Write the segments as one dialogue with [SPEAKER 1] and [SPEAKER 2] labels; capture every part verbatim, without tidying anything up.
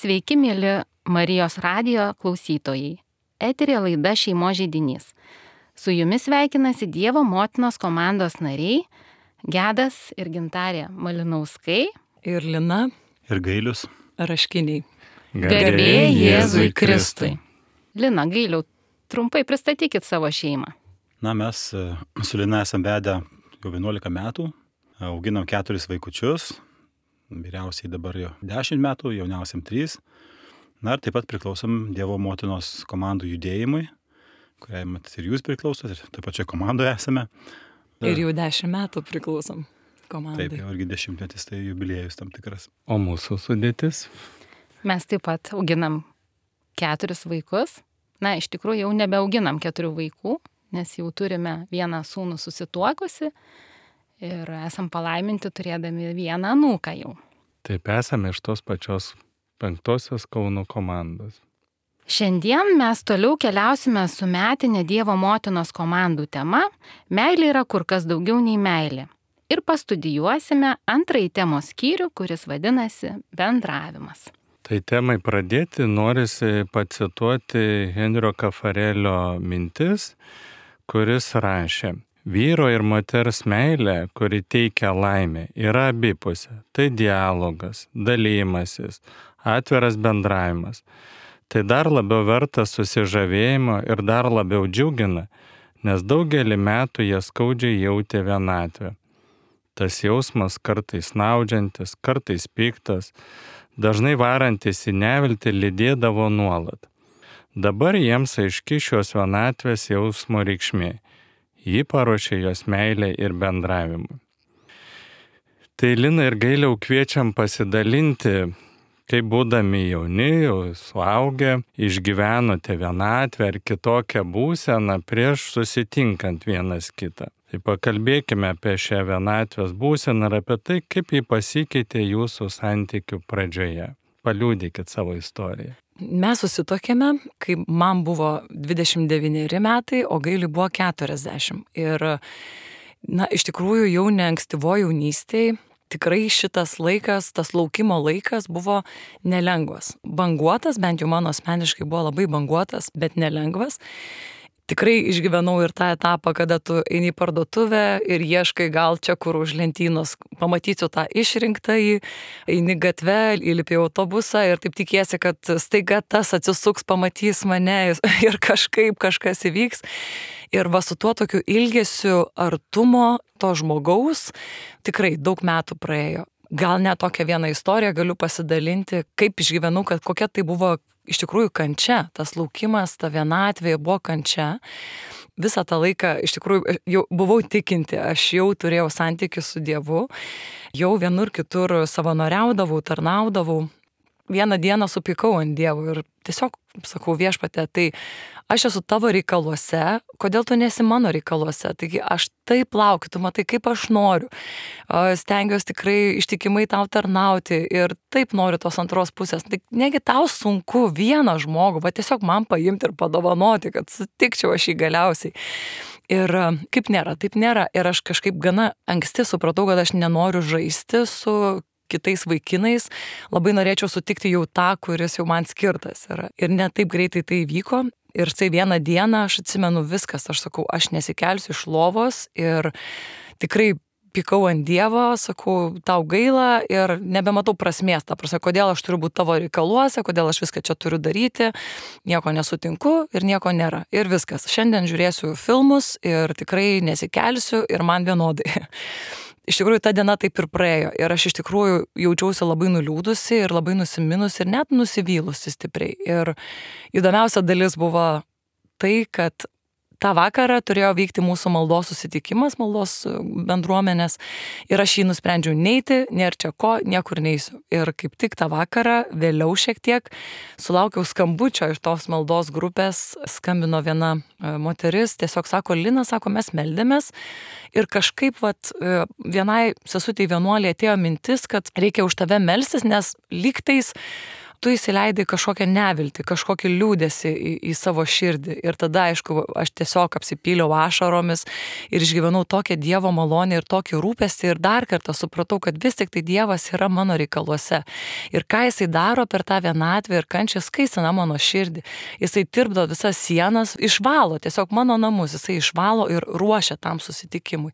[SPEAKER 1] Sveiki, mėly Marijos radijo klausytojai. Eterė laida Šeimos židinys. Su jumis sveikinasi Dievo motinos komandos nariai Gedas ir Gintarė Malinauskai
[SPEAKER 2] ir Lina
[SPEAKER 3] ir Gailius
[SPEAKER 2] Raškiniai.
[SPEAKER 1] Garbė Jėzui Kristui. Lina, Gailiau, trumpai pristatykit savo šeimą.
[SPEAKER 3] Na, mes su Lina esam vedę jau vienuolika metų, auginam keturis vaikučius, vyriausiai dabar jau dešimt metų, jauniausiam trys. Na ir taip pat priklausom Dievo motinos komandų judėjimui, kuriai mat ir jūs priklausot, ir taip pačioje komandoje esame.
[SPEAKER 2] Ir jau dešimt metų priklausom komandai.
[SPEAKER 3] Taip, jau irgi dešimtmetis, tai jubiliejus tam tikras.
[SPEAKER 4] O mūsų sudėtis?
[SPEAKER 1] Mes taip pat auginam keturis vaikus. Na, iš tikrųjų jau nebeauginam keturių vaikų, nes jau turime vieną sūnų susituokusi ir esam palaiminti turėdami vieną anūką jau.
[SPEAKER 4] Taip, esame iš tos pačios penktosios Kauno komandos.
[SPEAKER 1] Šiandien mes toliau keliausime su metinė Dievo motinos komandų tema Meilė yra kur kas daugiau nei meilė. Ir pastudijuosime antrąjį temos skyrių, kuris vadinasi bendravimas.
[SPEAKER 4] Tai temai pradėti norisi pacituoti Henrio Kafarelio mintis, kuris rašė: vyro ir moters meilė, kuri teikia laimę, yra abipusė. Tai dialogas, dalymasis, atviras bendravimas. Tai dar labiau verta susižavėjimo ir dar labiau džiugina, nes daugelį metų jie skaudžiai jautė vienatvę. Tas jausmas kartais naudžiantis, kartais piktas, dažnai varantis į neviltį lydėdavo nuolat. Dabar jiems aiški šios vienatvės jausmo reikšmė. Ji paruošė jos meilę ir bendravimą. Tai Lina ir Gailiau kviečiam pasidalinti, kaip būdami jauni, jau suaugę, išgyvenote vienatvę ar kitokią būseną prieš susitinkant vienas kitą. Tai pakalbėkime apie šią vienatvės būseną ir apie tai, kaip ji pasikeitė jūsų santykių pradžioje. Paliudykit savo istoriją.
[SPEAKER 2] Mes susitokėme, kai man buvo dvidešimt devyneri metai, o Gailiui buvo keturiasdešimt. Ir, na, iš tikrųjų jau ne ankstyvoje jaunystėje, tikrai šitas laikas, tas laukimo laikas buvo nelengvas. Banguotas, bent jau mano asmeniškai buvo labai banguotas, bet nelengvas. Tikrai išgyvenau ir tą etapą, kada tu eini į parduotuvę ir ieškai gal čia kur už lentynos, pamatysiu tą išrinktąjį, eini gatve, įlipi į autobusą ir taip tikiesi, kad staiga tas atsisuks, pamatys mane ir kažkaip kažkas įvyks. Ir va su tuo tokiu ilgesiu artumo to žmogaus tikrai daug metų praėjo. Gal net tokią vieną istoriją galiu pasidalinti, kaip išgyvenau, kad kokia tai buvo iš tikrųjų kančia. Tas laukimas, ta vienatvė buvo kančia. Visą tą laiką iš tikrųjų jau buvau tikinti, aš jau turėjau santykių su Dievu, jau vienur kitur savanoriaudavau, tarnaudavau. Vieną dieną supykau ant Dievo ir tiesiog sakau: viešpatie, tai aš esu tavo reikaluose, kodėl tu nesi mano reikaluose? Taigi aš taip laukiu, tu matai, kaip aš noriu. Stengiuosi tikrai ištikimai tau tarnauti ir taip noriu tos antros pusės. Tai negi tau sunku vieną žmogų, va tiesiog man paimti ir padovanoti, kad sutikčiau aš jį galiausiai. Ir kaip nėra, taip nėra. Ir aš kažkaip gana anksti supratau, kad aš nenoriu žaisti su kitais vaikinais, labai norėčiau sutikti jau tą, kuris jau man skirtas yra. Ir ne taip greitai tai vyko. Ir tai vieną dieną aš atsimenu viskas, aš sakau, aš nesikelsiu iš lovos ir tikrai pykau ant Dievo, sakau, tau gaila ir nebematau prasmės, ta prasme, kodėl aš turiu būti tavo reikaluose, kodėl aš viską čia turiu daryti, nieko nesutinku ir nieko nėra. Ir viskas. Šiandien žiūrėsiu filmus ir tikrai nesikelsiu ir man vienodai. Iš tikrųjų, ta diena taip ir praėjo ir aš iš tikrųjų jaučiausi labai nuliūdusi ir labai nusiminusi ir net nusivylusi stipriai. Ir įdomiausia dalis buvo tai, kad tą vakarą turėjo vykti mūsų maldos susitikimas, maldos bendruomenės ir aš jį nusprendžiau neiti, nėra čia ko, niekur neisiu. Ir kaip tik tą vakarą, vėliau šiek tiek, sulaukiau skambučio iš tos maldos grupės, skambino viena moteris, tiesiog sako, Lina, sako, mes meldėmės ir kažkaip vat, vienai sesutei vienuoliai atėjo mintis, kad reikia už tave melstis, nes lygtais tu įsileidai kažkokią neviltį, kažkokį liūdėsi į, į savo širdį. Ir tada, aišku, aš tiesiog apsipyliau ašaromis ir išgyvenau tokią Dievo malonę ir tokį rūpestį ir dar kartą supratau, kad vis tik tai Dievas yra mano reikaluose. Ir ką jisai daro per tą vienatvę ir kančią, skaistina mano širdį. Jisai tirpdo visas sienas, išvalo tiesiog mano namus, jisai išvalo ir ruošia tam susitikimui.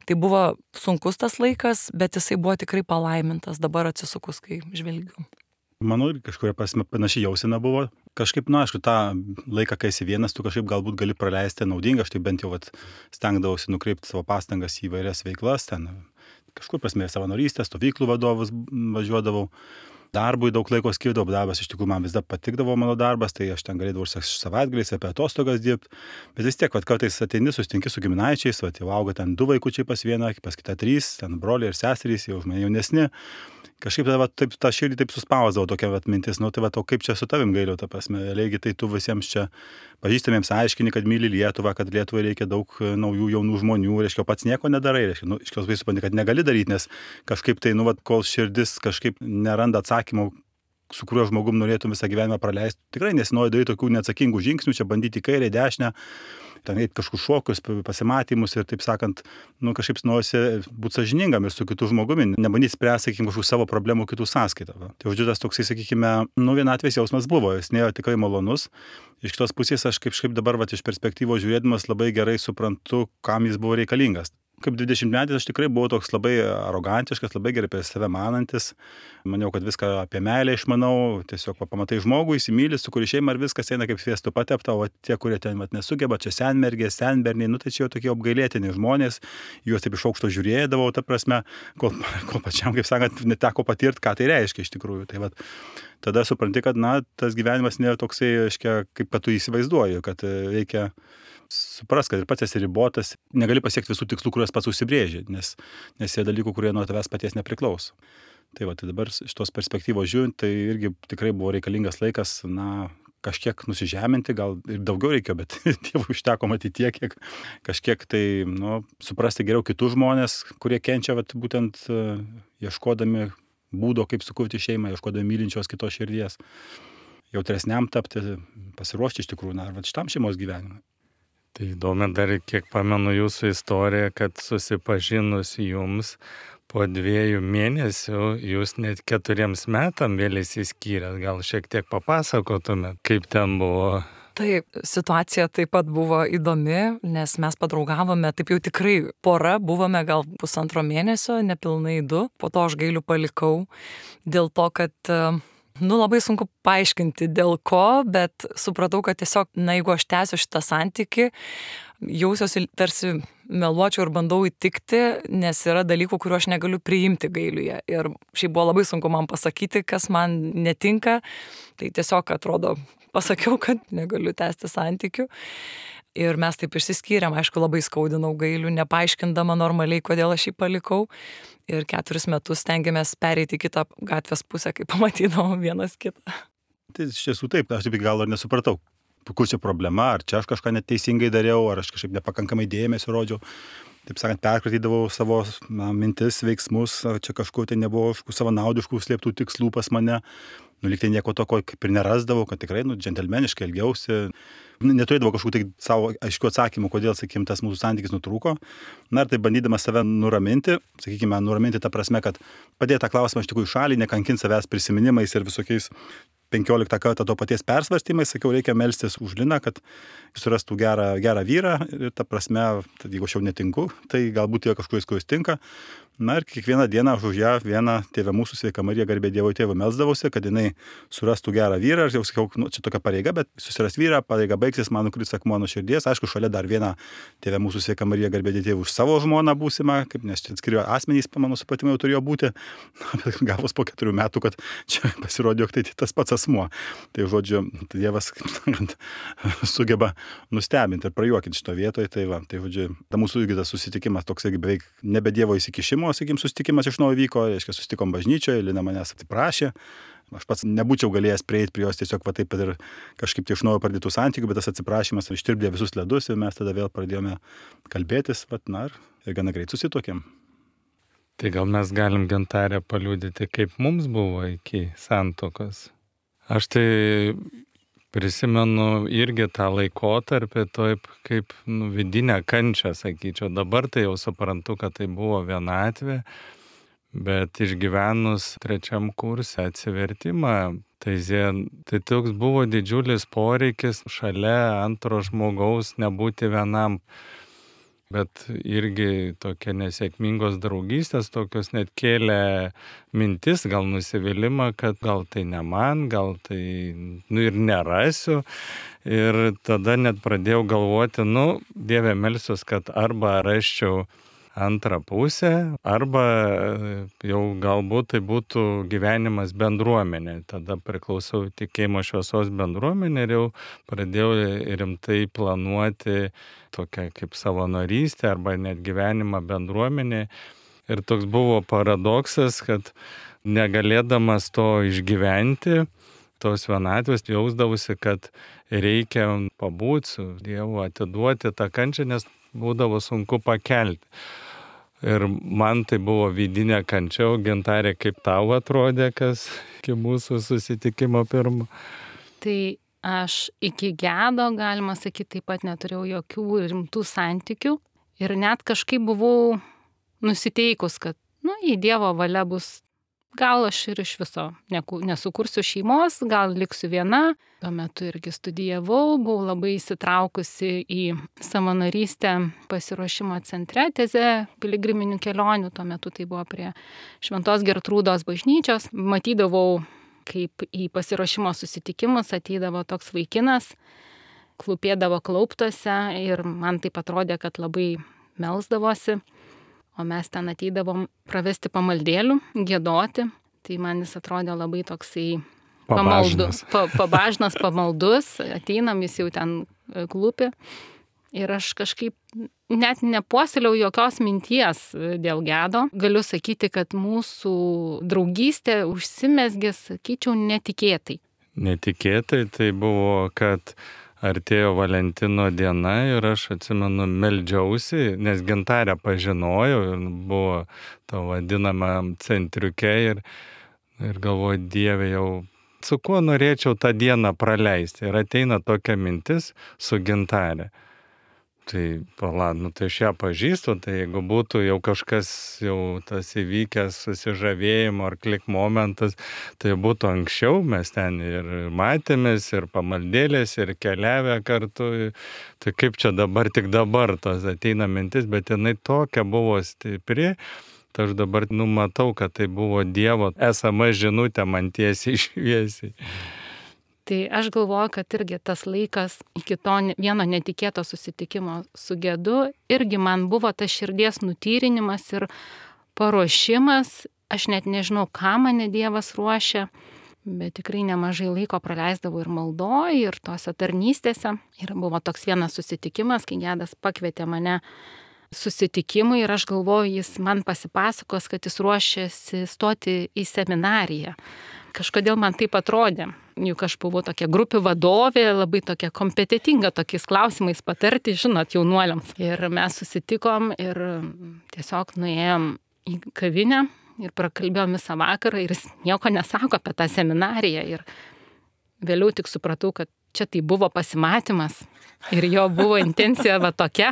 [SPEAKER 2] Tai buvo sunkus tas laikas, bet jisai buvo tikrai palaimintas, dabar atsisukus, kai žvelgiu.
[SPEAKER 3] Manau, ir kažkuria prasme panašiai jausena buvo. Kažkaip, nu, aišku, tą laiką, kai esi vienas, tu kažkaip galbūt gali praleisti naudingą, aš tai bent jau vat, stengdavausi nukreipti savo pastangas į vairias veiklas, ten kažkur prasme savanorystę, stovyklų vadovus važiuodavau. Darbui daug laiko skirdavau, darbas iš tikrųjų man vis dar patikdavo mano darbas, tai aš ten galėdavau ir savaitgaliais apie atostogas dirbti, bet vis tiek, vat, kartais ateini, susitinki su giminaičiais, vat, jau auga ten du vaikučiai pas vieną, pas kitą trys, ten broliai ir seserys, jau už mane jaunesni. Kažkaip vat, taip, tą širdį taip suspausdavo tokia vat, mintis, nu tai vat, o kaip čia su tavim Gailiau, ta prasme, reikia tai tu visiems čia pažįstamiems aiškini, kad myli Lietuvą, kad Lietuvai reikia daug naujų jaunų žmonių, reiškia, pats nieko nedarai, reiškia, nu, iš kios vai supranti, kad negali daryti, nes kažkaip tai, nu, vat, kol širdis kažkaip neranda atsakymų, su kuriuo žmogum norėtum visą gyvenimą praleisti, tikrai nesinori daryti tokių neatsakingų žingsnių, čia bandyti į kairę, dešinę, ten eiti kažkokius šokius, pasimatymus ir taip sakant, nu kažkaip norisi būti sąžiningam ir su kitu žmogumi, nebandyti spręsti, sakykime, kažkokių savo problemų kitų sąskaitą. Va. Tai žodžiu, tas toksai, sakykime, nu vienatvės jausmas buvo, jis nėjo tikrai malonus. Iš kitos pusės aš kažkaip dabar va, iš perspektyvos žiūrėdamas labai gerai suprantu, kam jis buvo reikalingas. Kaip dvidešimtmetis aš tikrai buvau toks labai arogantiškas, labai gerai apie save manantis. Maniau, kad viską apie meilę išmanau, tiesiog va, pamatai žmogų, įsimyli, su kuriuo šeima ir viskas eina kaip sviestu patepta, o tie, kurie ten vat, nesugeba, čia senmergės, senberniai, nu tai čia jau tokie apgailėtini žmonės, juos taip iš aukšto žiūrėdavau, ta prasme, kol, kol pačiam, kaip sakant, neteko patirti, ką tai reiškia iš tikrųjų. Tai vat, tada supranti, kad na, tas gyvenimas nėra toksai, aiškia, kaip kad tu įsivaizduoji, kad reikia supras, kad ir pats esi ribotas, negali pasiekti visų tikslų, kuriuos pats užsibrėži, nes, nes yra dalykų, kurie nuo tavęs paties nepriklauso. Tai va, tai dabar iš tos perspektyvos žiūrint, tai irgi tikrai buvo reikalingas laikas, na, kažkiek nusižeminti, gal ir daugiau reikėjo, bet Dievui užteko matyti tiek, kiek kažkiek tai, nu, suprasti geriau kitus žmonės, kurie kenčia, vat, būtent uh, ieškodami būdo, kaip sukurti šeimą, ieškodami mylinčios kitos širdies, jautresniam tapti, pasiruošti iš tikrųjų, na, vat, šitam šeimos gyvenimui.
[SPEAKER 4] Tai įdomi dar, kiek pamenu jūsų istoriją, kad susipažinus jums po dviejų mėnesių, jūs net keturiems metam vėl įsiskyrėt. Gal šiek tiek papasakotumėt, kaip ten buvo?
[SPEAKER 2] Taip, situacija taip pat buvo įdomi, nes mes padraugavome, taip jau tikrai pora, buvome gal pusantro mėnesio, nepilnai du, po to aš Gailių palikau dėl to, kad nu, labai sunku paaiškinti dėl ko, bet supratau, kad tiesiog, na, jeigu aš tęsiu šitą santykį, jausiuosi tarsi meluočiau ir bandau įtikti, nes yra dalykų, kuriuo aš negaliu priimti Gailiuje. Ir šiaip buvo labai sunku man pasakyti, kas man netinka, tai tiesiog atrodo, pasakiau, kad negaliu tęsti santykių. Ir mes taip išsiskyrėm, aišku, labai skaudinau Gailių, nepaaiškindama normaliai, kodėl aš jį palikau. Ir keturis metus stengiamės pereiti į kitą gatvės pusę, kai pamatydavom vienas kitą.
[SPEAKER 3] Tai iš tiesų taip, aš taip gal ir nesupratau, kur čia problema, ar čia aš kažką neteisingai dariau, ar aš kažkaip nepakankamai dėmesio rodžiau. Taip sakant, perkratydavau savo na, mintis, veiksmus, ar čia kažkur tai nebuvo savo naudiškų slėptų tikslų pas mane. Nu, lyg tai nieko toko kaip ir nerasdavau, kad tikrai, nu, džentelmeniškai elgiausi. Neturėdavau kažkokių tai savo aiškių atsakymų, kodėl, sakykime, tas mūsų santykis nutrūko. Na ir tai bandydamas save nuraminti, sakykime, nuraminti tą prasme, kad padėti tą klausimą iš tikrųjų šalį, nekankinti savęs prisiminimais ir visokiais penkioliktą kartą to paties persvarstymais, sakiau, reikia melstis už Liną, kad surastų gerą, gerą vyrą ir ta prasme, tad jeigu aš jau netinku, tai galbūt yra kažkuris, kuris tinka. Na ir kiekvieną dieną aš už ją vieną Tėvę mūsų Sveika Marija garbė Dievo Tėvui melsdavausi, kad jinai surastų gerą vyrą. Ir jau sakiau, nu, čia tokia pareiga, bet susiras vyrą, pareiga baigsis, man nukris akmuo nuo širdies. Aišku, šalia dar vieną Tėvę mūsų Sveika Marija garbė Dievo už savo žmoną būsimą, kaip nes čia atskiri asmenys, mano supratimu, jau turėjo būti. Bet gavus po keturių metų, kad čia pasirodė, jog tai tas pats asmuo. Tai žodžiu, tai Dievas, kaip sakant, sugeba nustebinti ir prajuokinti šito vietoje. Tai va, tai žodžiu, ta mūsų irgi tas susitikimas toks beveik nebe Dievo įsikišimo, sakykim, susitikimas iš naujo vyko, reiškia, susitikom bažnyčioje, Lina manęs atsiprašė. Aš pats nebūčiau galėjęs prieiti prie jos tiesiog va taip pat ir kažkaip tai iš naujo pradėtų santykių, bet tas atsiprašymas ištirpdė visus ledus ir mes tada vėl pradėjome kalbėtis, vat, na, ir gana greit susituokėm.
[SPEAKER 4] Tai gal mes galim Gintarę paliudyti, kaip mums buvo iki santuokos? Aš tai prisimenu irgi tą laikotarpį taip kaip nu, vidinę kančią, sakyčiau. Dabar tai jau suprantu, kad tai buvo vienatvė, bet išgyvenus trečiam kurse atsivertimą, tai, tai toks buvo didžiulis poreikis šalia antro žmogaus nebūti vienam. Bet irgi tokia nesėkmingos draugystės, tokios net kėlė mintis, gal nusivylimą, kad gal tai ne man, gal tai nu, ir nerasiu. Ir tada net pradėjau galvoti, nu, Dieve melsiuos, kad arba rasčiau antrą pusę, arba jau galbūt tai būtų gyvenimas bendruomenė. Tada priklausau tikėjimo šviesos bendruomenė ir jau pradėjau rimtai planuoti tokią kaip savanorystę arba net gyvenimą bendruomenė. Ir toks buvo paradoksas, kad negalėdamas to išgyventi, tos vienatvės jausdavusi, kad reikia pabūti su Dievu, atiduoti tą kančią, nes būdavo sunku pakelti. Ir man tai buvo vidinė kančia, o Gintarė, kaip tau atrodė, kas iki mūsų susitikimo pirmo?
[SPEAKER 1] Tai aš iki gedo, galima sakyti, taip pat neturėjau jokių rimtų santykių ir net kažkaip buvau nusiteikus, kad, nu, į Dievo valia bus, gal aš ir iš viso nesukursiu šeimos, gal liksiu viena. Tuo metu irgi studijavau, buvau labai įsitraukusi į savanorystę pasiruošimo centre Teze piligriminių kelionių. Tuo metu tai buvo prie Šventos Gertrūdos bažnyčios. Matydavau, kaip į pasiruošimo susitikimus ateidavo toks vaikinas, klūpėdavo klauptuose ir man taip atrodė, kad labai melsdavosi. O mes ten ateidavom pravesti pamaldėlių, giedoti. Tai man jis atrodė labai toksai pamaldus, pa, pabažnas, pamaldus. Ateinam, jis jau ten klūpi. Ir aš kažkaip net nepuoseliau jokios minties dėl gedo. Galiu sakyti, kad mūsų draugystė užsimezgė, sakyčiau, netikėtai.
[SPEAKER 4] Netikėtai tai buvo, kad artėjo Valentino diena ir aš atsimenu, meldžiausi, nes Gintarę pažinojau ir buvo to vadinama centriuke ir, ir galvoju, Dieve, jau su kuo norėčiau tą dieną praleisti. Ir ateina tokia mintis su Gintarė. Tai, pala, nu tai aš ją pažįstu, tai jeigu būtų jau kažkas jau tas įvykęs susižavėjimo ar klik momentas, tai būtų anksčiau, mes ten ir matėmės, ir pamaldėlės, ir keliavę kartu. Tai kaip čia dabar, tik dabar tos ateina mintis, bet jinai tokia buvo stipri, tai aš dabar numatau, kad tai buvo Dievo esama žinutė man tiesiai šviesiai.
[SPEAKER 1] Tai aš galvoju, kad irgi tas laikas iki to vieno netikėto susitikimo su gedu irgi man buvo tas širdies nutyrinimas ir paruošimas. Aš net nežinau, ką mane Dievas ruošia, bet tikrai nemažai laiko praleisdavau ir maldoj, ir tose tarnystėse. Ir buvo toks vienas susitikimas, kai gedas pakvietė mane susitikimui ir aš galvoju, jis man pasipasakos, kad jis ruošiasi stoti į seminariją. Kažkodėl man taip atrodė, juk aš buvau tokia grupių vadovė, labai tokia kompetitinga tokiais klausimais patarti, žinot, jaunuoliams. Ir mes susitikom ir tiesiog nuėjom į kavinę ir prakalbėjom visą vakarą ir jis nieko nesako apie tą seminariją. Ir vėliau tik supratau, kad čia tai buvo pasimatymas ir jo buvo intencija va tokia.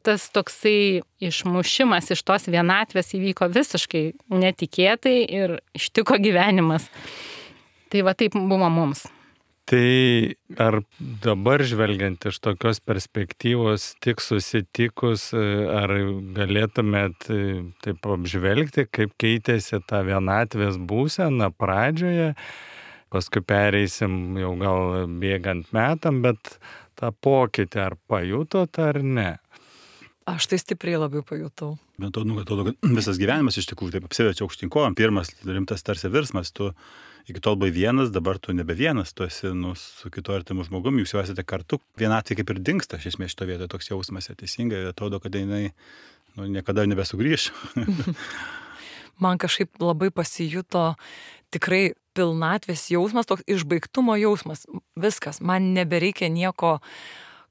[SPEAKER 1] Tas toksai išmušimas iš tos vienatvės įvyko visiškai netikėtai ir ištiko gyvenimas. Tai va taip buvo mums.
[SPEAKER 4] Tai ar dabar žvelgiant iš tokios perspektyvos, tik susitikus, ar galėtumėt taip apžvelgti, kaip keitėsi ta vienatvės būsena pradžioje, paskui pereisim jau gal bėgant metam, bet tą pokytį ar pajutot ar ne?
[SPEAKER 2] Aš tai stipriai labai pajutau.
[SPEAKER 3] Bet to, nu, atrodo, kad visas gyvenimas iš tikrųjų taip apsiverčia aukštyn kojom. Pirmas rimtas tarsi virsmas, tu iki tol buvai vienas, dabar tu nebe vienas, tu esi nu, su kitu artimu žmogumi, jūs jau esate kartu. Vienatvė kaip ir dingsta, iš esmės šito vietoje toks jausmas, teisingai, atrodo, kad jinai nu, niekada nebesugrįš.
[SPEAKER 2] Man kažkaip labai pasijuto tikrai pilnatvės jausmas, toks išbaigtumo jausmas. Viskas, man nebereikia nieko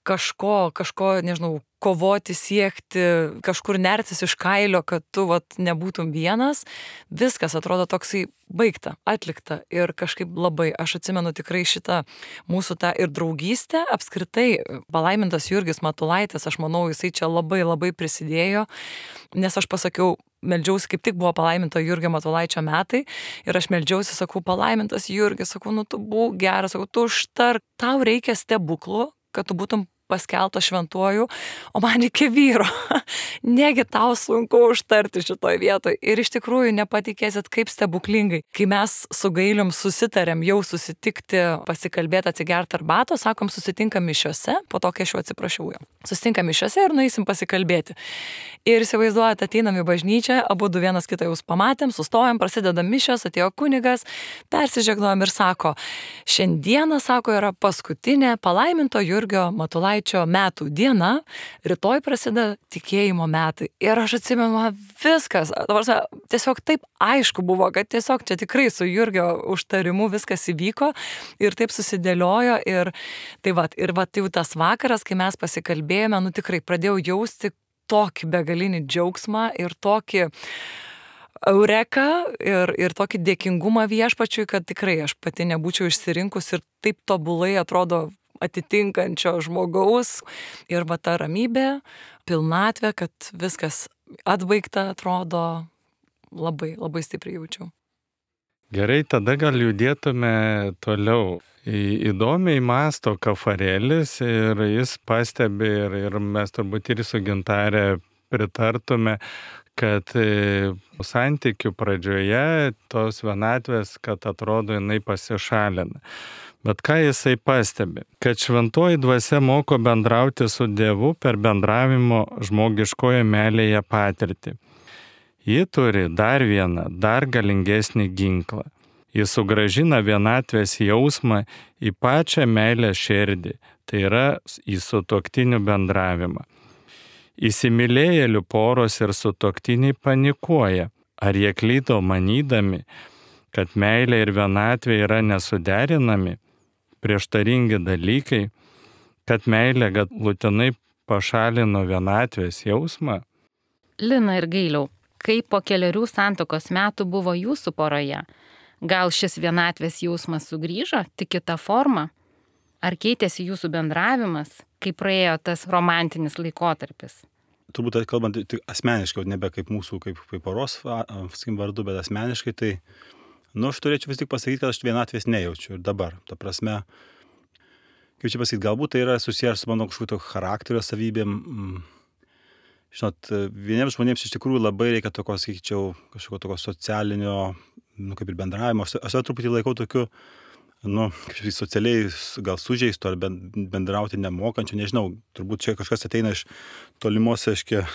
[SPEAKER 2] kažko, kažko, nežinau, kovoti, siekti, kažkur nertis iš kailio, kad tu vat, nebūtum vienas, viskas atrodo toksai baigta, atlikta ir kažkaip labai, aš atsimenu tikrai šitą mūsų tą ir draugystę, apskritai palaimintas Jurgis Matulaitis, aš manau, jisai čia labai labai prisidėjo, nes aš pasakiau, meldžiausi, kaip tik buvo palaiminto Jurgio Matulaičio metai ir aš meldžiausi, sakau, palaimintas Jurgis, sakau, nu tu būk geras, sakau, tu užtark, tau reikia stebuklų, kad tu būtum paskeltas šventuoju, o man reikia vyro. Negi tau sunku užtarti šitoj vietoj. Ir iš tikrųjų nepatikėsit, kaip stebuklingai. Kai mes su Gailium susitarėm jau susitikti, pasikalbėti, atsigerti arbatos, sakom, susitinkam mišiose, po to, kai aš jau atsiprašiau jo. Susitinkam mišiose ir nueisim pasikalbėti. Ir įsivaizduojate, ateinam į bažnyčią, abu du vienas kitą jau pamatėm, sustojam, prasideda mišios, atėjo kunigas, persižegnojom ir sako, šiandieną, sako, yra paskutinė palaiminto Jurgio Matulaičio metų diena, rytoj prasideda tikėjimo metai. Ir aš atsimenu, man viskas, tiesiog taip aišku buvo, kad tiesiog čia tikrai su Jurgio užtarimu viskas įvyko ir taip susidėliojo. Ir tai va, ir va, tai jau tas vakaras, kai mes pasikalbėjome, nu tikrai pradėjau jausti tokį begalinį džiaugsmą ir tokį eureka ir, ir tokį dėkingumą viešpačiui, kad tikrai aš pati nebūčiau išsirinkus ir taip tobulai atrodo atitinkančio žmogaus ir va ta ramybė, pilnatvė, kad viskas atbaigta atrodo labai, labai stipriai jaučiau.
[SPEAKER 4] Gerai, tada gal judėtume toliau. Į- Įdomiai masto Kafarėlis ir jis pastebi ir, ir mes turbūt ir su Gintarė pritartume, kad e, santykių pradžioje tos vienatvės, kad atrodo jinai pasišalina. Bet ką jisai pastebi? Kad šventoji dvasia moko bendrauti su Dievu per bendravimo žmogiškoje meilėje patirtį. Ji turi dar vieną, dar galingesnį ginklą. Ji sugrąžina vienatvės jausmą į pačią meilę širdį, tai yra į sutuoktinių bendravimą. Įsimylėjėlių poros ir sutuoktiniai panikuoja, ar jie klydo manydami, kad meilė ir vienatvė yra nesuderinami, prieštaringi dalykai, kad meilė galutinai pašalino vienatvės jausmą.
[SPEAKER 1] Lina ir Gailiau, kaip po keliarių santuokos metų buvo jūsų poroje? Gal šis vienatvės jausmas sugrįžo, tik kita forma? Ar keitėsi jūsų bendravimas, kai praėjo tas romantinis laikotarpis?
[SPEAKER 3] Turbūt kalbant tik asmeniškai, nebe kaip mūsų, kaip, kaip poros sakykim, vardu, bet asmeniškai, tai, nu, aš turėčiau vis tik pasakyti, kad aš vienatvės nejaučiu ir dabar. Ta prasme, kaip čia pasakyti, galbūt tai yra susijęs su mano kažkokio charakterio savybėm. Žinot, vieniems žmonėms iš tikrųjų labai reikia tokio, sakyčiau, kažkokio tokio socialinio, nu, kaip ir bendravimo. Aš, aš truputį laikau tokiu, nu, kaip socialiai gal sužeisto ar bendrauti nemokančių, nežinau, turbūt čia kažkas ateina iš tolimos, aiškia,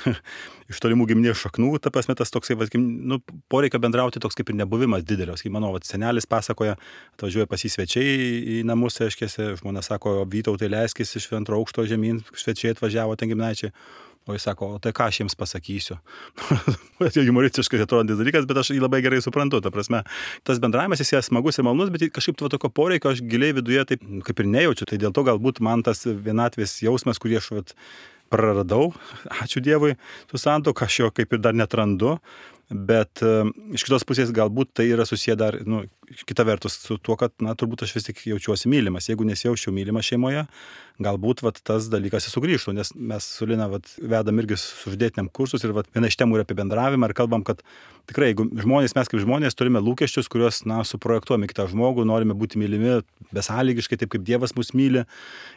[SPEAKER 3] iš tolimų giminės šaknų, ta prasme, tas toksai, va, nu, poreikio bendrauti toks kaip ir nebuvimas didelis. Kaip mano, va, senelis pasakoja, atvažiuoja pas jį svečiai į namus, aiškia, žmona sako, Vytautai leiskis iš antro aukšto žemyn, svečiai atvažiavo ten giminaičiai. O jis sako, o tai ką aš jiems pasakysiu? Tai humoristiškai atrodantis dalykas, bet aš jį labai gerai suprantu. Ta prasme, tas bendravimas jis yra smagus ir malonus, bet kažkaip to tokio poreikio aš giliai viduje taip kaip ir nejaučiu. Tai dėl to galbūt man tas vienatvės jausmas, kurį aš vat, praradau, ačiū Dievui, su santuoka, aš jo kaip ir dar netrandu. Bet uh, iš kitos pusės galbūt tai yra susiję dar, nu, kita vertus su tuo, kad, na, turbūt aš vis tik jaučiuosi mylimas. Jeigu nesijaučiau mylimas šeimoje, galbūt vat, tas dalykas sugrįžtų, nes mes su Lina vat, vedam irgi suždėtiniam kursus ir vat, viena iš temų yra apie bendravimą ir kalbam, kad tikrai, jeigu žmonės, mes kaip žmonės turime lūkesčius, kuriuos, na, suprojektuojame kitą žmogų, norime būti mylimi besąlygiškai, taip kaip Dievas mus myli.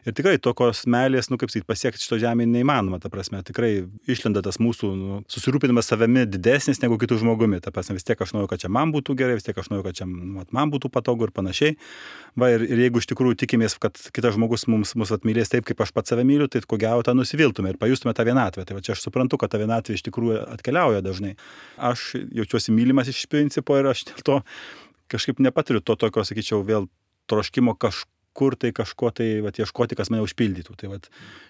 [SPEAKER 3] Ir tikrai tokios meilės, nu, kaip sakyt, pasiekti šito žemėje neįmanoma, ta prasme, tikrai išlenda tas mūsų nu, susirūpinimas savimi didesnis negu kitų žmogumi. Ta prasme, vis tiek aš noriu, kad čia man būtų gerai, vis tiek aš noriu, kad čia man būtų patogu ir panašiai. Va, ir, ir jeigu iš tikrųjų tikimės, kad kitas žmogus mums, mus atmylės taip, kaip aš pats save myliu, tai ko gero tą nusiviltume ir pajustume tą vienatvę. Tai va, čia aš suprantu, kad ta vienatvė iš tikrųjų atkeliauja dažnai. Aš jaučiuosi mylimas iš principo ir aš dėl to kažkaip nepatiriu to tokio, sakyčiau, vėl troškimo kažko. Kur tai kažko tai vat, ieškoti, kas mane užpildytų. Tai vat,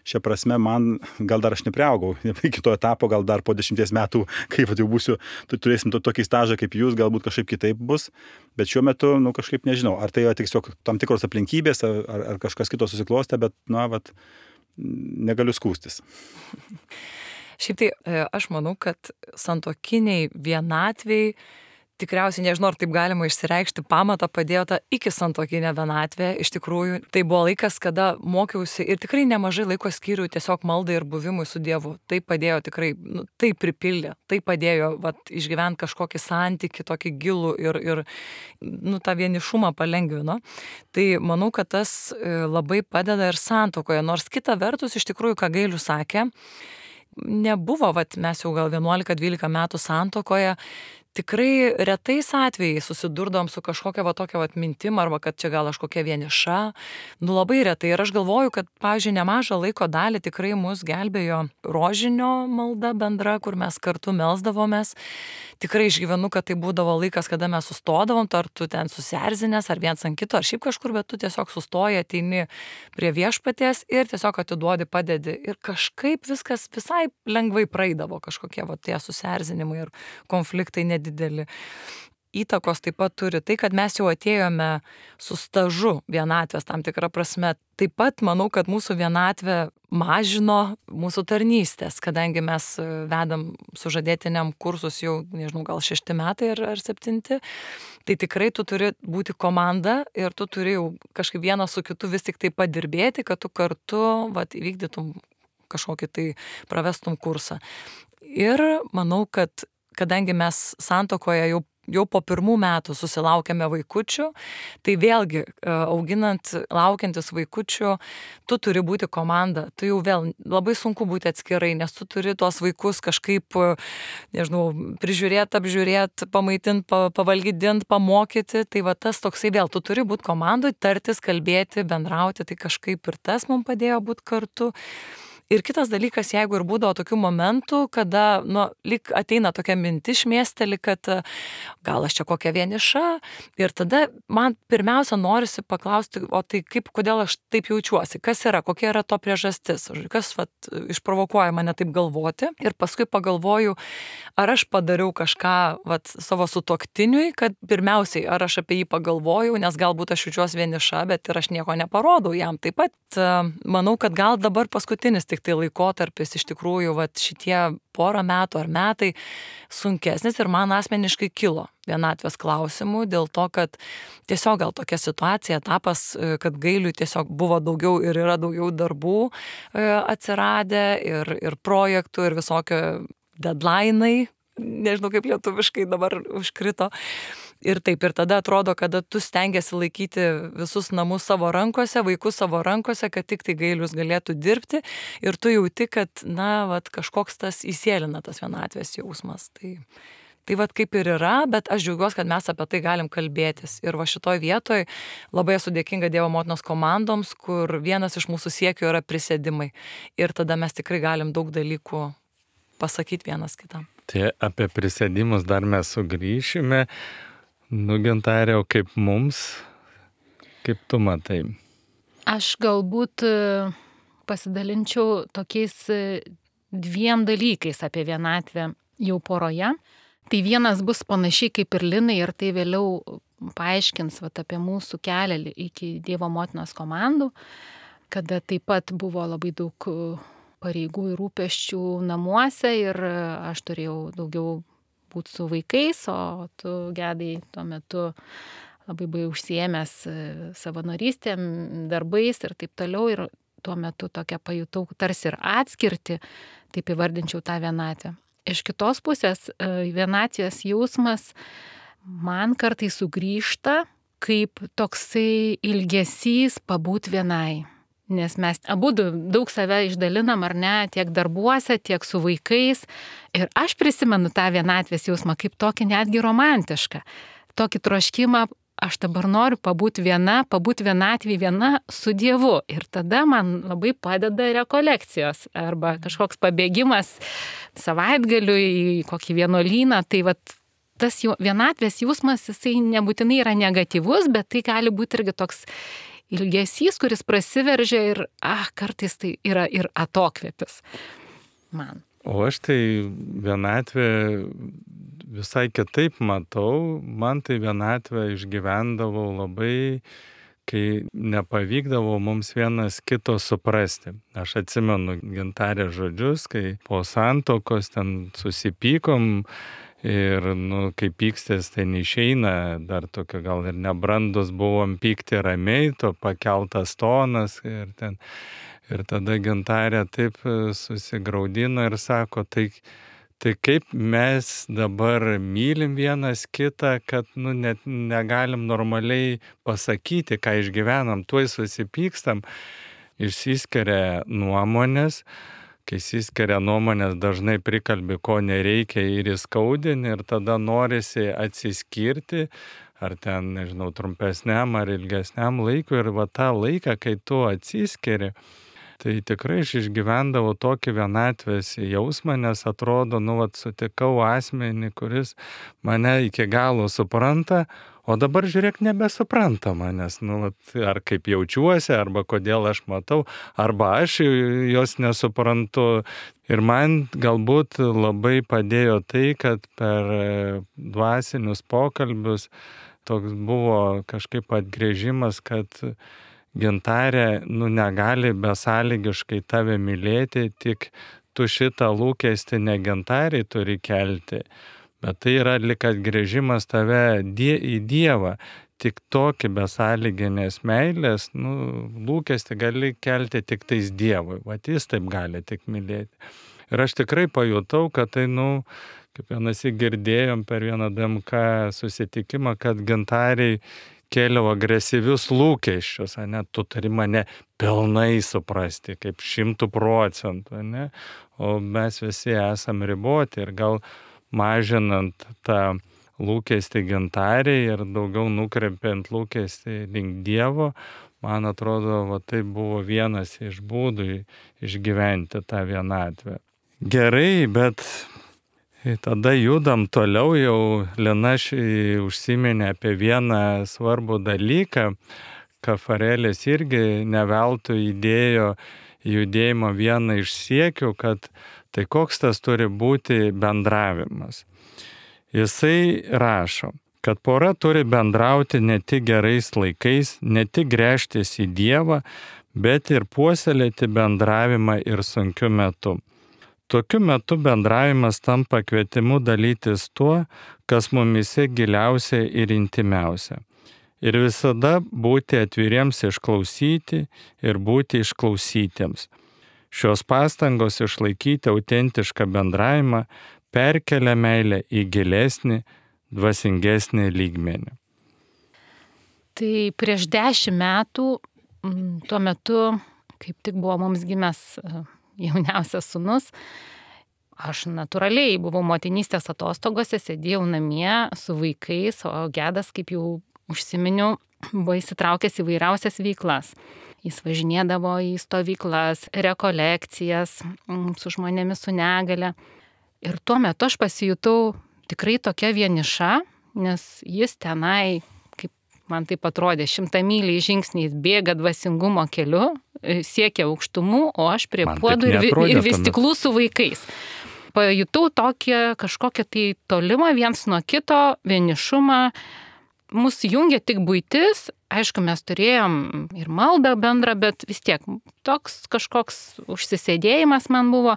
[SPEAKER 3] šia prasme man, gal dar aš nepriaugau, iki to etapo, gal dar po dešimties metų, kai vat, jau būsiu, tai turėsim to, tokį stažą kaip jūs, galbūt kažkaip kitaip bus, bet šiuo metu, nu, kažkaip nežinau, ar tai yra tiesiog tam tikros aplinkybės, ar, ar kažkas kito susiklostė, bet, na, vat, negaliu skūstis.
[SPEAKER 2] Šiaip tai aš manau, kad santuokiniai vienatviai tikriausiai, nežinau, ar taip galima išsireikšti, pamatą padėjo tą iki santuokinę vienatvę. Iš tikrųjų, tai buvo laikas, kada mokiausi ir tikrai nemažai laiko skyriau tiesiog maldai ir buvimui su Dievu. Tai padėjo tikrai, nu, tai pripildė, tai padėjo vat, išgyventi kažkokį santykį, tokį gilų ir, ir nu, tą vienišumą palengvino. Tai manau, kad tas labai padeda ir santuokoje, nors kita vertus, iš tikrųjų, ką Gailius sakė, nebuvo, vat, mes jau gal vienuolika dvylika metų santuokoje, tikrai retais atvejais susidurdom su kažkokia va tokia va mintim arba kad čia gal aš kokia vieniša, nu labai retai. Ir aš galvoju, kad, pavyzdžiui, nemažą laiko dalį tikrai mus gelbėjo rožinio malda bendra, kur mes kartu melsdavomės. Tikrai išgyvenu, kad tai būdavo laikas, kada mes sustodavom, ar tu ten susierzinęs, ar viens ant kito, ar šiaip kažkur, bet tu tiesiog sustoji, ateini prie viešpaties ir tiesiog atiduodi, padedi. Ir kažkaip viskas visai lengvai praeidavo, kažkokie va tie susierzinimai ir konfliktai nedideli. Įtakos taip pat turi tai, kad mes jau atėjome su stažu vienatvės tam tikrą prasme. Taip pat manau, kad mūsų vienatvė mažino mūsų tarnystės, kadangi mes vedam sužadėtiniam kursus jau, nežinau, gal šešti metai ar, ar septinti, tai tikrai tu turi būti komanda ir tu turi jau kažkaip vienas su kitu vis tik tai padirbėti, kad tu kartu vat, įvykdytum kažkokį tai pravestum kursą. Ir manau, kad kadangi mes santuokoje jau jau po pirmų metų susilaukėme vaikučių, tai vėlgi auginant, laukiantis vaikučių, tu turi būti komanda. Tu jau vėl labai sunku būti atskirai, nes tu turi tuos vaikus kažkaip, nežinau, prižiūrėti, apžiūrėti, pamaitinti, pavalgydinti, pamokyti. Tai va tas toksai vėl, tu turi būti komandoj, tartis, kalbėti, bendrauti, tai kažkaip ir tas mums padėjo būti kartu. Ir kitas dalykas, jeigu ir būdavo tokių momentų, kada, nu, lyg ateina tokia mintis šmėsteli, kad gal aš čia kokia vieniša, ir tada man pirmiausia norisi paklausti, o tai kaip, kodėl aš taip jaučiuosi, kas yra, kokia yra to priežastis, kas vat, išprovokuoja mane taip galvoti. Ir paskui pagalvoju, ar aš padariau kažką vat, savo sutuoktiniui, kad pirmiausiai, ar aš apie jį pagalvojau, nes galbūt aš jaučiuosi vieniša, bet ir aš nieko neparodau jam. Taip pat manau, kad gal dabar paskutinis tik tai laikotarpis iš tikrųjų vat, šitie porą metų ar metai sunkesnis ir man asmeniškai kilo vienatvės klausimų dėl to, kad tiesiog gal tokia situacija, etapas, kad Gailiui tiesiog buvo daugiau ir yra daugiau darbų atsiradę ir, ir projektų ir visokio deadline'ai, nežinau kaip lietuviškai dabar užkrito. Ir taip, ir tada atrodo, kada tu stengiasi laikyti visus namus savo rankose, vaikus savo rankose, kad tik tai Gailius galėtų dirbti ir tu jauti, kad, na, vat, kažkoks tas įsėlina tas vienatvės jausmas. Tai, tai vat kaip ir yra, bet aš džiaugiuosi, kad mes apie tai galim kalbėtis. Ir va šitoj vietoj labai esu dėkinga Dievo motinos komandoms, kur vienas iš mūsų siekių yra prisėdimai. Ir tada mes tikrai galim daug dalykų pasakyti vienas kitam.
[SPEAKER 4] Tai apie prisėdimus dar mes sugrįšime. Nu, Gintarė, o kaip mums, kaip tu matai?
[SPEAKER 1] Aš galbūt pasidalinčiau tokiais dviem dalykais apie vienatvę jau poroje. Tai vienas bus panašiai kaip ir Linai ir tai vėliau paaiškins vat, apie mūsų kelią iki Dievo motinos komandų, kada taip pat buvo labai daug pareigų ir rūpesčių namuose ir aš turėjau daugiau būti su vaikais, o tu, Gedai, tuo metu labai buvai užsiėmęs savanorystėm, darbais ir taip toliau. Ir tuo metu tokia pajutau tarsi ir atskirti, taip įvardinčiau tą vienatvę. Iš kitos pusės vienatvės jausmas man kartais sugrįžta kaip toksai ilgesys pabūt vienai. Nes mes abu daug save išdalinam, ar ne, tiek darbuose, tiek su vaikais. Ir aš prisimenu tą vienatvės jausmą kaip tokį netgi romantišką. Tokį troškimą, aš dabar noriu pabūti viena, pabūti vienatvį viena su Dievu. Ir tada man labai padeda rekolekcijos arba kažkoks pabėgimas savaitgaliu į kokį vienuolyną. Tai vat tas vienatvės jausmas, jisai nebūtinai yra negatyvus, bet tai gali būti irgi toks ilgesys, kuris prasiveržia ir, ah, kartais tai yra ir atokvėpis man.
[SPEAKER 4] O aš tai vienatvę visai kitaip matau. Man tai vienatvę išgyvendavau labai kai nepavykdavo mums vienas kito suprasti. Aš atsimenu Gintarės žodžius, kai po santuokos ten susipykom ir, nu, kai pykstės, tai neišeina, dar tokio gal ir nebrandus buvom pykti ramiai, to pakeltas tonas ir ten. Ir tada Gintarė taip susigraudino ir sako, tai Tai kaip mes dabar mylim vienas kitą, kad, nu, net negalim normaliai pasakyti, ką išgyvenam, tuoj susipykstam, išsiskiria nuomonės, kai išsiskiria nuomonės dažnai prikalbi, ko nereikia ir įskaudini ir tada norisi atsiskirti, ar ten, nežinau, trumpesniam ar ilgesniam laikui ir va tą laiką, kai tu atsiskiri, tai tikrai aš išgyvendavau tokį vienatvės jausmą, nes atrodo, nu, vat, sutikau asmenį, kuris mane iki galo supranta, o dabar žiūrėk nebesupranta manęs, nu, vat, ar kaip jaučiuosi, arba kodėl aš matau, arba aš jos nesuprantu. Ir man galbūt labai padėjo tai, kad per dvasinius pokalbius toks buvo kažkaip atgrėžimas, kad Gintarė, nu, negali besąlygiškai tave mylėti, tik tu šitą lūkestį ne Gintarei turi kelti, bet tai yra lyg atgrėžimas tave die, į Dievą. Tik tokį besąlyginės meilės, nu, lūkestį gali kelti tik tais Dievui, vat jis taip gali tik mylėti. Ir aš tikrai pajutau, kad tai, nu, kaip vienasi girdėjom per vieną D M K susitikimą, kad Gintariai kėliau agresyvius lūkesčius, ne, tu turi mane pilnai suprasti, kaip šimtų procentų, ne, o mes visi esam riboti ir gal mažinant tą lūkestį Gintariai ir daugiau nukreipiant lūkestį link Dievo, man atrodo, va, tai buvo vienas iš būdų išgyventi tą vienatvę. Gerai, bet tada judam toliau, jau Lina užsiminė apie vieną svarbų dalyką. Kafarėlis irgi neveltui įdėjo judėjimo vieną iš siekių, kad tai koks tas turi būti bendravimas. Jisai rašo, kad pora turi bendrauti ne tik gerais laikais, ne tik gręžtis į Dievą, bet ir puoselėti bendravimą ir sunkiu metu. Tokiu metu bendravimas tampa kvietimu dalytis tuo, kas mumise giliausia ir intimiausia. Ir visada būti atviriems išklausyti ir būti išklausytiems. Šios pastangos išlaikyti autentišką bendravimą perkelia meilę į gilesnį, dvasingesnį lygmenį.
[SPEAKER 1] Tai prieš dešimt metų, tuo metu, kaip tik buvo mums gimęs jauniausias sūnus, aš natūraliai buvau motinystės atostogose, sėdėjau namie su vaikais, o Gedas, kaip jau užsiminiau, buvo įsitraukęs į vairiausias veiklas. Jis važinėdavo į stovyklas, rekolekcijas su žmonėmis su negale. Ir tuo metu aš pasijutau tikrai tokia vieniša, nes jis tenai, kaip man taip atrodė, šimtamyliais žingsniais bėga dvasingumo keliu, siekia aukštumų, o aš prie puodų ir, ir vystiklų su vaikais. Pajutau tokią kažkokią tai tolimą viens nuo kito, vienišumą. Mūsų jungia tik buitis, aišku, mes turėjom ir maldą bendrą, bet vis tiek toks kažkoks užsisėdėjimas man buvo.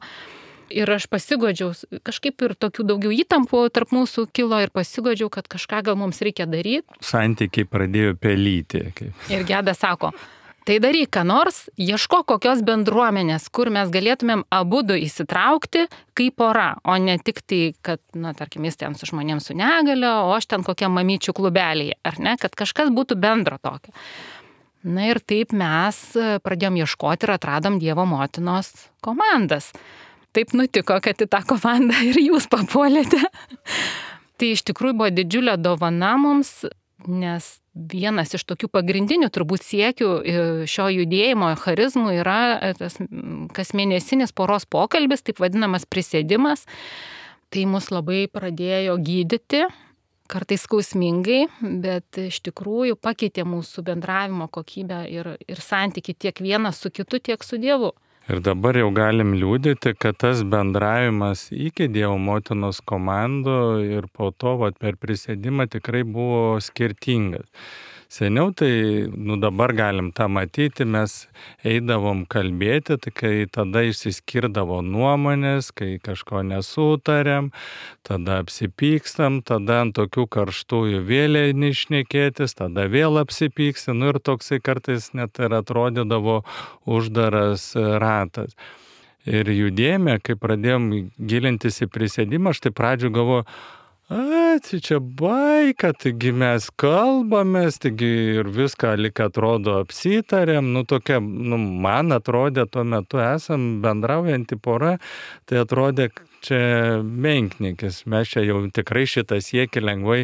[SPEAKER 1] Ir aš pasigodžiau, kažkaip ir tokių daugiau įtampų tarp mūsų kilo ir pasigodžiau, kad kažką gal mums reikia daryti.
[SPEAKER 4] Santykiai pradėjo pelyti. Kaip.
[SPEAKER 1] Ir Gedas sako, tai daryk ką nors, ieško kokios bendruomenės, kur mes galėtumėm abudu įsitraukti kaip pora, o ne tik tai, kad, na, tarkim, jis ten su žmonėms su negale, o aš ten kokiam mamyčių klubelėje, ar ne, kad kažkas būtų bendro tokio. Na ir taip mes pradėjom ieškoti ir atradom Dievo motinos komandas. Taip nutiko, kad į tą komandą ir jūs papuolėte. Tai iš tikrųjų buvo didžiulė dovana mums, nes vienas iš tokių pagrindinių turbūt siekių šio judėjimo charizmų yra tas kasmėnesinis poros pokalbis, taip vadinamas prisėdimas. Tai mus labai pradėjo gydyti, kartais skausmingai, bet iš tikrųjų pakeitė mūsų bendravimo kokybę ir, ir santykį tiek vienas su kitu, tiek su Dievu.
[SPEAKER 4] Ir dabar jau galim liūdėti, kad tas bendravimas iki Dievo motinos komandų ir po to vat, per prisėdimą tikrai buvo skirtingas. Seniau tai, nu dabar galim tą matyti, mes eidavom kalbėti, tai kai tada išsiskirdavo nuomonės, kai kažko nesutarėm, tada apsipykstam, tada ant tokių karštųjų vėlė neišnekėtis, tada vėl apsipyksti, nu ir toksai kartais net ir atrodydavo uždaras ratas. Ir judėjime, kai pradėjom gilintis į prisėdimą, aš tai pradžių galvoju, a, tai čia baika, taigi mes kalbamės, taigi ir viską lik atrodo apsitarėm, nu tokia, nu man atrodė tuo metu esam bendraujanti pora, tai atrodė čia menknikis, mes čia jau tikrai šitą siekį lengvai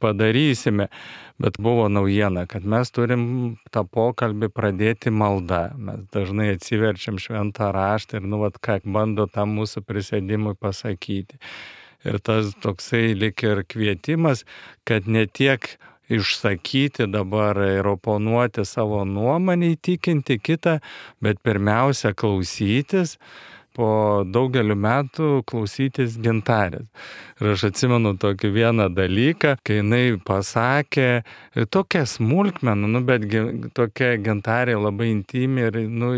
[SPEAKER 4] padarysime, bet buvo naujiena, kad mes turim tą pokalbį pradėti malda, mes dažnai atsiverčiam šventą raštą ir nu vat ką bando tam mūsų prisėdimui pasakyti. Ir tas toksai lik ir kvietimas, kad ne tiek išsakyti dabar ir oponuoti savo nuomonę, įtikinti kitą, bet pirmiausia klausytis, po daugelių metų klausytis Gintarės. Ir aš atsimenu tokį vieną dalyką, kai jinai pasakė tokią smulkmeną, nu, bet tokia Gintarė labai intimi ir, nu,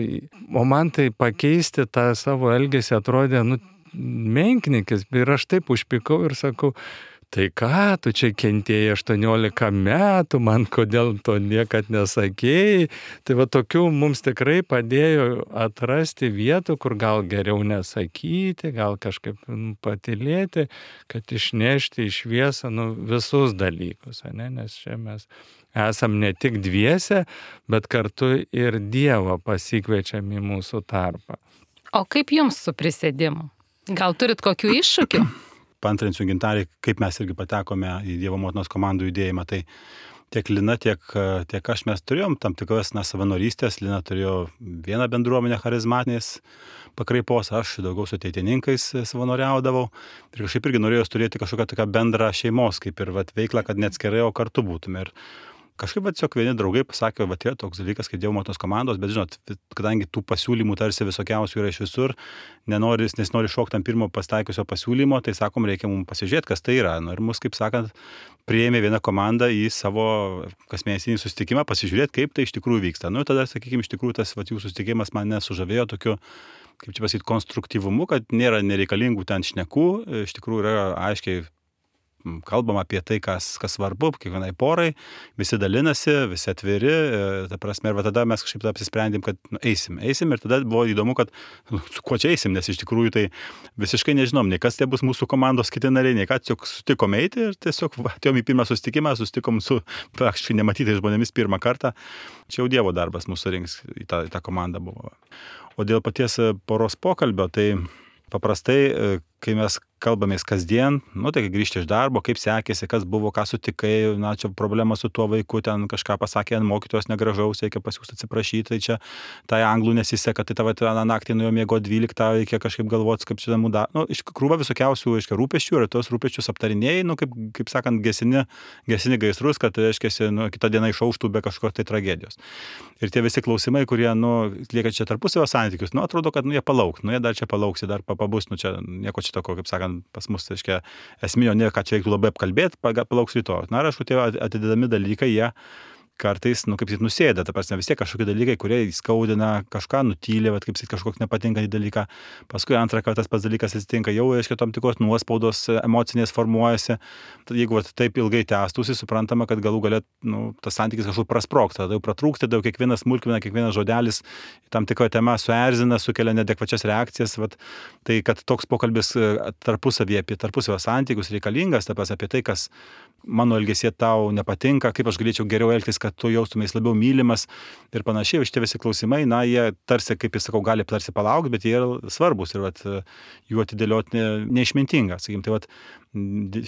[SPEAKER 4] o man tai pakeisti tą savo elgesį atrodė, nu, menknikis, ir aš taip užpykau ir sakau, tai ką, tu čia kentėjai aštuoniolika metų, man kodėl to niekad nesakėjai. Tai va tokių mums tikrai padėjo atrasti vietų, kur gal geriau nesakyti, gal kažkaip patylėti, kad išnešti į šviesą nu, visus dalykus, ne? Nes čia mes esam ne tik dviese, bet kartu ir Dievą pasikviečiam į mūsų tarpą.
[SPEAKER 1] O kaip jums su prisėdimu? Gal turit kokių iššūkių?
[SPEAKER 3] Paantrinsiu Gintarį, kaip mes irgi patekome į Dievo motinos komandų judėjimą. Tai tiek Lina, tiek, tiek aš mes turėjom tam tikras na, savanorystės. Lina turėjo vieną bendruomenę charizmatinės pakraipos, aš daugiau su ateitininkais savanoriaudavau. Ir kažkaip irgi norėjau turėti kažkokią tokią bendrą šeimos, kaip ir vat, veiklą, kad neatskirai, o kartu būtume. Ir kažkaip vat, tiesiog vieni draugai pasakė, va, yra toks dalykas kaip Dievo motinos komandos, bet žinot, kadangi tų pasiūlymų tarsi visokiausių yra iš visur, nenoris, nes nori šokti ant pirmo pastaikiusio pasiūlymo, tai sakom, reikia mums pasižiūrėti, kas tai yra. Nu, ir mus, kaip sakant, priėmė viena komanda į savo kasmėnesinį susitikimą, pasižiūrėti, kaip tai iš tikrųjų vyksta. Nu, tada, sakykime, iš tikrųjų tas vat, jų susitikimas mane sužavėjo tokiu, kaip čia pasakyti, konstruktyvumu, kad nėra nereikalingų ten šnekų, iš tikrųjų yra aiškiai kalbam apie tai, kas, kas svarbu, kiekvienai porai, visi dalinasi, visi atviri, ta prasme, ir tada mes kažkaip apsisprendėm, kad nu, eisim, eisim, ir tada buvo įdomu, kad nu, su kuo čia eisim, nes iš tikrųjų tai visiškai nežinom, nei kas tai bus mūsų komandos kiti nariai, nei ką, tiesiog sutikom eiti ir tiesiog atėjom į pirmą susitikimą, susitikom su praktiškai nematytais žmonėmis pirmą kartą, čia jau Dievo darbas mūsų rinks į tą, į tą komandą buvo. O dėl paties poros pokalbio, tai paprastai, kai mes kalbamės kasdien, nu tai kai grįžti iš darbo, kaip sekėsi, kas buvo, ką sutikai, na čia problema su tuo vaiku, ten kažką pasakė, mokytojos negražaus, reikia pasiūsti atsiprašyti, tai čia tai anglų nesiseka, tai tavo tą naktį nuėjo miego dvyliktą, reikia kažkaip galvoti, kaip čia namų dar, nu iš krūva visokiausių, aiškiai, rūpesčių ir tos rūpesčius aptarinėjai, nu kaip, kaip sakant, gesini, gesini gaisrus, kad, reiškia, nu, kitą dieną išauštų be kažkokios tai tragedijos. Ir tie visi klausimai, kurie, nu, lieka čia tarpusavio santykius, nu, atrodo, kad, nu, jie palauks, nu, jie dar čia palauks, dar pabus, nu, čia nieko čia toko, kaip sakant, pas mus, aiškia, esminio ne, ką čia reiktų labai apkalbėti, palauks rytoj. Na, ir aišku, tie atidedami dalykai, jie kartais, nu, kaip sakyt, nusėda, ta prasme, vis tiek kažkokie dalykai, kurie įskaudina, kažką nutylė, bet kaip sakyt, kažkoks nepatinkantį dalyką. Paskui antrą kartą tas pats dalykas atsitinka, jau, aiškiai, tam tikros nuospaudos emocinės formuojasi. Tad jeigu vat, taip ilgai tęstųsi, suprantama, kad galų galia, nu, tas santykis kažkur prasprogsta, tada jau pratrūksta, tada jau kiekvienas smulkmena, kiekvienas žodelis tam tikra tema suerzina, sukelia neadekvačias reakcijas. Vat, tai, kad toks pokalbis tarpusavyje apie tarpusavio santykius reikalingas, ta prasme, apie tai, kas mano elgesyje tau nepatinka, kaip aš galėčiau geriau elgtis, kad tu jaustumės labiau mylimas ir panašiai. Šitie visi klausimai, na, jie tarsi, kaip jis sakau, gali tarsi palaukti, bet jie yra svarbus ir vat, jų atidėlioti ne, neišmintinga. Sakykim, tai vat,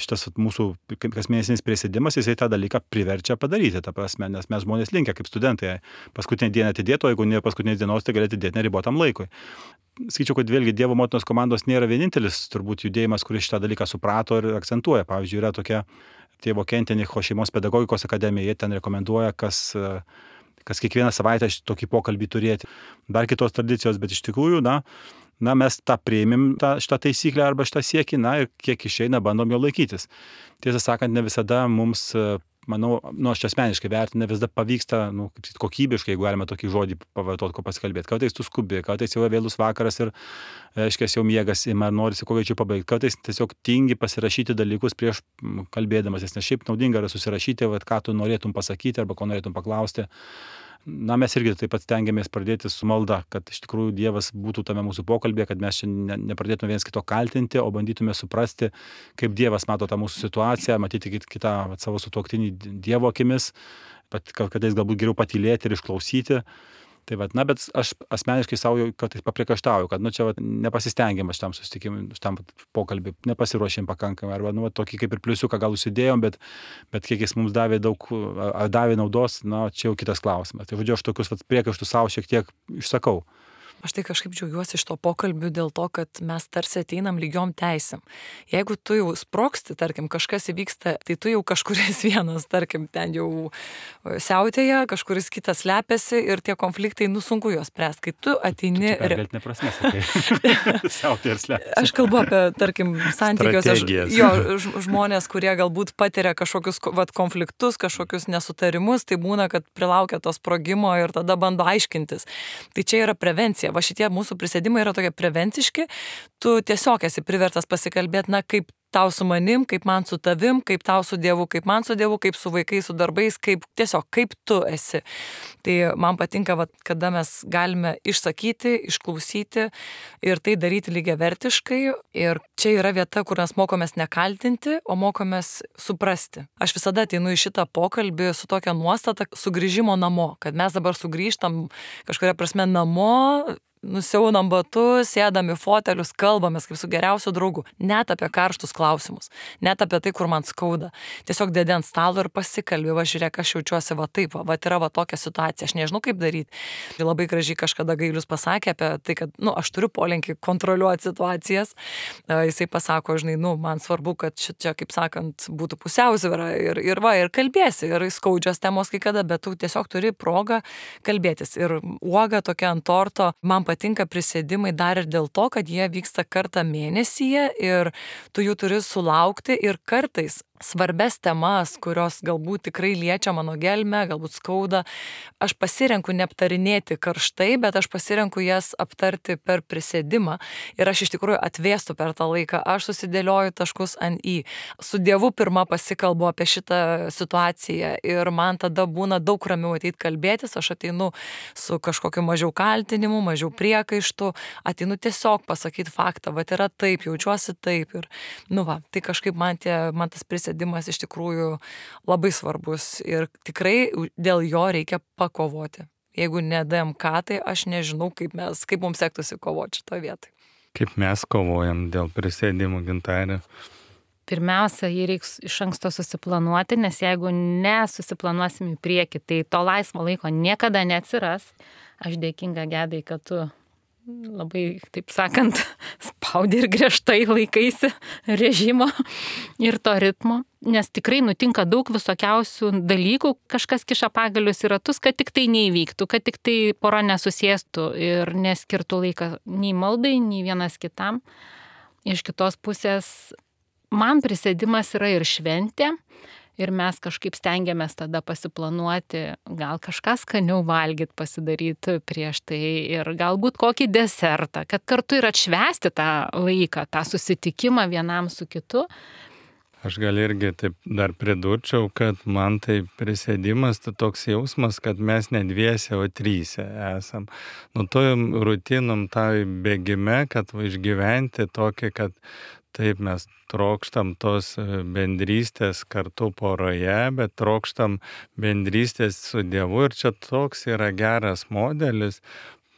[SPEAKER 3] šitas vat, mūsų kasmėnesinis prisėdimas, jisai tą dalyką priverčia padaryti, ta prasme, nes mes žmonės linkę kaip studentai paskutinę dieną atidėti, o jeigu ne paskutinės dienos, tai gali atidėti neribotam laikui. Skaičiau, kad vėlgi Dievo motinos komandos nėra vienintelis turbūt judėjimas, kuris šitą dalyką suprato ir akcentuoja. Pavyzdžiui, yra tokia Tėvo Kentenicho šeimos pedagogikos akademija, jie ten rekomenduoja, kas, kas kiekvieną savaitę tokį pokalbį turėti. Dar kitos tradicijos, bet iš tikrųjų, na, na mes tą priėmėm, tą, šitą taisyklę arba šitą siekį, na ir kiek išeina, bandom jo laikytis. Tiesą sakant, ne visada mums manau, nu, aš asmeniškai vertinu, vis dar pavyksta, nu, kaip sakyt, kokybiškai, jeigu galima tokį žodį pavartoti, ko pasikalbėti. Kartais tu skubi, kartais jau vėlus vakaras ir, aiškiai, jau miegas ima ir norisi kuo greičiau pabaigti. Kartais tiesiog tingi pasirašyti dalykus prieš kalbėdamas, nes šiaip naudinga yra susirašyti, vat, ką tu norėtum pasakyti arba ko norėtum paklausti. Na, mes irgi taip pat stengiamės pradėti su malda, kad iš tikrųjų Dievas būtų tame mūsų pokalbėje, kad mes čia ne, nepradėtume vienas kito kaltinti, o bandytume suprasti, kaip Dievas mato tą mūsų situaciją, matyti kitą vat, savo sutuoktinį Dievo akimis, bet kartais galbūt geriau patylėti ir išklausyti. Tai vat, na, bet aš asmeniškai savo jau kartais papriekaištauju, kad, nu, čia vat, nepasistengiam šitam susitikimui, šitam pokalbį, nepasiruošėm pakankamai, arba, nu, vat, tokį kaip ir pliusiuką gal užsidėjom, bet, bet kiek jis mums davė daug, ar davė naudos, na, čia jau kitas klausimas. Tai, žodžiu, aš tokius vat, priekaištus savo šiek tiek išsakau.
[SPEAKER 2] Aš tai kažkaip džiaugiuosi iš to pokalbių dėl to, kad mes tarsi ateinam lygiom teisėm. Jeigu tu jau sproksti, tarkim, kažkas įvyksta, tai tu jau kažkuris vienas, tarkim, ten jau siautėja, kažkuris kitas slepiasi ir tie konfliktai, nu, sunku juos spręsti. Kai tu ateini...
[SPEAKER 3] Tu čia neprasmės, tai siautėja ir slepiasi.
[SPEAKER 2] Aš kalbu apie, tarkim, santykiuose
[SPEAKER 4] Strategijas.
[SPEAKER 2] jo žmonės, kurie galbūt patiria kažkokius vat, konfliktus, kažkokius nesutarimus, tai būna, kad prilaukia to sprogimo ir tada bando aiškintis. Tai čia yra prevencija. Va šitie mūsų prisėdimai yra tokie prevenciški, tu tiesiog esi privertas pasikalbėti, na, kaip tau su manim, kaip man su tavim, kaip tau su Dievu, kaip man su Dievu, kaip su vaikais, su darbais, kaip tiesiog, kaip tu esi. Tai man patinka, va, kada mes galime išsakyti, išklausyti ir tai daryti lygiavertiškai. Ir čia yra vieta, kur mes mokomės nekaltinti, o mokomės suprasti. Aš visada ateinu į šitą pokalbį su tokia nuostata sugrįžimo namo, kad mes dabar sugrįžtam kažkuria prasme namo, nusiaunam batus, sėdam į fotelius, kalbamės kaip su geriausiu draugu. Net apie karštus klausimus, net apie tai, kur man skauda. Tiesiog dėdė ant stalo ir pasikalbė, va žiūrėk, aš jaučiuosi va taip, va, va yra va tokia situacija, aš nežinau kaip daryti. Ir labai gražiai kažkada Gailius pasakė apie tai, kad, nu, aš turiu polinkį kontroliuoti situacijas. Jisai pasako, žinai, nu, man svarbu, kad čia, kaip sakant, būtų pusiausvyra ir, ir va, ir kalbėsi, ir skaudžios temos kai kada, bet tu tiesiog turi progą kalbėtis. Ir uoga tokia ant torto, man patinka prisėdimai dar ir dėl to, kad jie vyksta kartą mėnesyje ir tu jų turi sulaukti ir kartais svarbes temas, kurios galbūt tikrai liečia mano gelmę, galbūt skauda, aš pasirenku neaptarinėti karštai, bet aš pasirenku jas aptarti per prisėdimą ir aš iš tikrųjų atvėstu per tą laiką, aš susidėlioju taškus ant į. Su Dievu pirmą pasikalbu apie šitą situaciją ir man tada būna daug ramiau ateit kalbėtis, aš ateinu su kažkokiu mažiau kaltinimu, mažiau priekaištų, ateinu tiesiog pasakyti faktą, va yra taip, jaučiuosi taip ir, nu va, tai kažkaip man, tie, man tas prisėdimas iš tikrųjų labai svarbus ir tikrai dėl jo reikia pakovoti. Jeigu ne D M K, tai aš nežinau, kaip, mes, kaip mums sektųsi kovoti šitoje vietoje.
[SPEAKER 4] Kaip mes kovojam dėl prisėdimų, Gintarė?
[SPEAKER 1] Pirmiausia, jį reiks iš anksto susiplanuoti, nes jeigu nesusiplanuosim į priekį, tai to laisvo laiko niekada neatsiras. Aš dėkinga Gedai, kad tu labai, taip sakant, spaudi ir griežtai laikaisi režimo ir to ritmo, nes tikrai nutinka daug visokiausių dalykų, kažkas kiša pagalius į ratus, kad tik tai neįvyktų, kad tik tai pora nesusėstų ir neskirtų laiką nei maldai, nei vienas kitam. Iš kitos pusės, man prisėdimas yra ir šventė. Ir mes kažkaip stengiamės tada pasiplanuoti, gal kažką skaniau valgyti, pasidaryti prieš tai ir galbūt kokį desertą, kad kartu ir atšvęsti tą laiką, tą susitikimą vienam su kitu.
[SPEAKER 4] Aš gal irgi taip dar pridurčiau, kad man tai prisėdimas, tai toks jausmas, kad mes ne dviese, o tryse esam. Nu, tojom rutinom tai bėgime, kad va, išgyventi tokį, kad taip mes trokštam tos bendrystės kartu poroje, bet trokštam bendrystės su Dievu ir čia toks yra geras modelis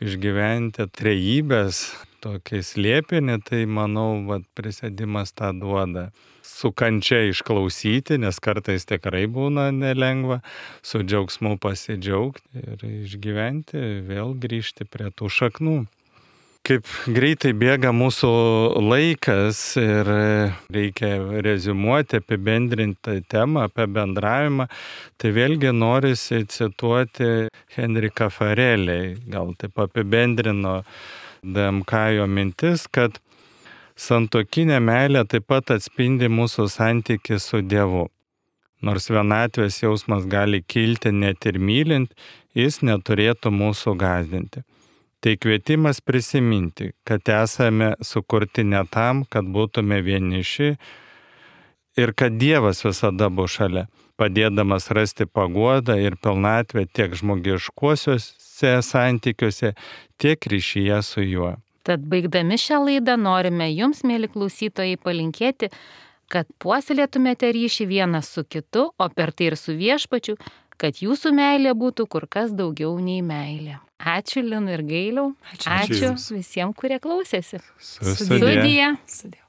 [SPEAKER 4] išgyventi trejybės tokį slėpinį, tai manau, vat, prisėdimas tą duoda. Su kančia išklausyti, nes kartais tikrai būna nelengva, su džiaugsmu pasidžiaugti ir išgyventi, vėl grįžti prie tų šaknų. Kaip greitai bėga mūsų laikas ir reikia reziumuoti, apibendrinti temą apie bendravimą, tai vėlgi norisi cituoti Henriką Farelį, gal taip apibendrino D M K jo mintis, kad santuokinė meilė taip pat atspindi mūsų santykį su Dievu. nors vienatvės jausmas gali kilti net ir mylint, jis neturėtų mūsų gąsdinti. Tai kvietimas prisiminti, kad esame sukurti ne tam, kad būtume vieniši ir kad Dievas visada bus šalia, padėdamas rasti paguodą ir pilnatvę tiek žmogiškuosiuose santykiuose, tiek ryšyje su juo.
[SPEAKER 1] Tad baigdami šią laidą norime jums, mėly klausytojai, palinkėti, kad puoselėtumėte ryšį vienas su kitu, o per tai ir su Viešpačiu, kad jūsų meilė būtų kur kas daugiau nei meilė. Ačiū Linai ir Gailiau.
[SPEAKER 2] Ačiū.
[SPEAKER 1] Ačiū,
[SPEAKER 3] Ačiū
[SPEAKER 1] Ačiū visiems, kurie klausėsi.
[SPEAKER 4] Sudie.
[SPEAKER 1] Sudie.
[SPEAKER 2] Sudie.